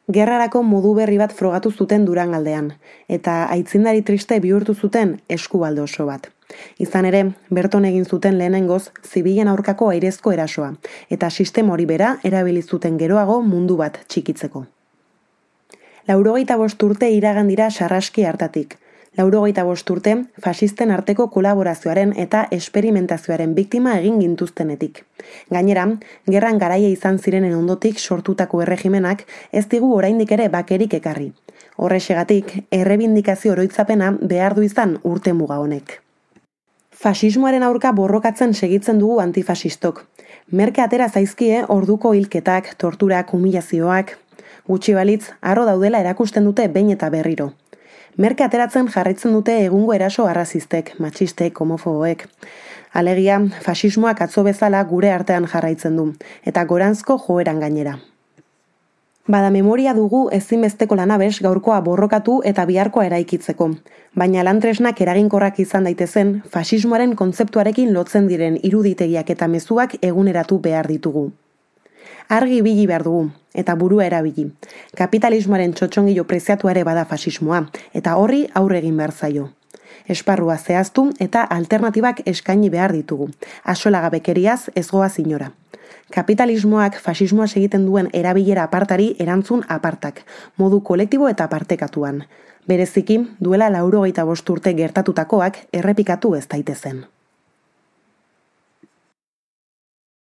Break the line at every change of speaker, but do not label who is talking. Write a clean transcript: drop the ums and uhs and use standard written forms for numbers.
Gerrarako modu berri bat frogatu zuten Durangaldean, eta aitzindari triste bihurtu zuten eskubalde oso bat. Izan ere, berton egin zuten lehenengoz zibilen aurkako airezko erasoa, eta sistema hori bera erabili zuten geroago mundu bat txikitzeko. 95 urte iragan dira Sarraski hartatik. 95 urte faxisten arteko kolaborazioaren eta esperimentazioaren biktima egin gintuztenetik. Gainera, gerran garaia izan zirenen ondotik sortutako erregimenak ez digu oraindik ere bakerik ekarri. Horrexegatik, errebindikazio oroitzapena behar du izan urte muga honek. Faxismoaren aurka borrokatzen segitzen dugu antifasistok. Merke atera zaizkie orduko hilketak, torturak, humilazioak, gutxi balitz, harro daudela erakusten dute behin eta berriro. Merke ateratzen jarraitzen dute egungo eraso arrazistek, matxistek, homofoboek. Alegia, faxismoak atzo bezala gure artean jarraitzen du, eta goranzko joeran gainera. Bada memoria dugu ezinbesteko lanabes gaurkoa borrokatu eta biharkoa eraikitzeko, baina lantresnak eraginkorrak izan daitezen, faxismoaren kontzeptuarekin lotzen diren iruditegiak eta mezuak eguneratu behar ditugu. Argi ibili behar dugu, eta burua erabili. Kapitalismoaren txotxongilo preziatua ere bada faxismoa, eta horri aurre egin behar zaio. Esparrua zehaztu eta alternatibak eskaini behar ditugu. Axolagabekeriaz ez goaz inora. Kapitalismoak faxismoa egiten duen erabilera apartari erantzun apartak, modu kolektibo eta partekatuan. Bereziki, duela 95 urte gertatutakoak errepikatu ez daitezen.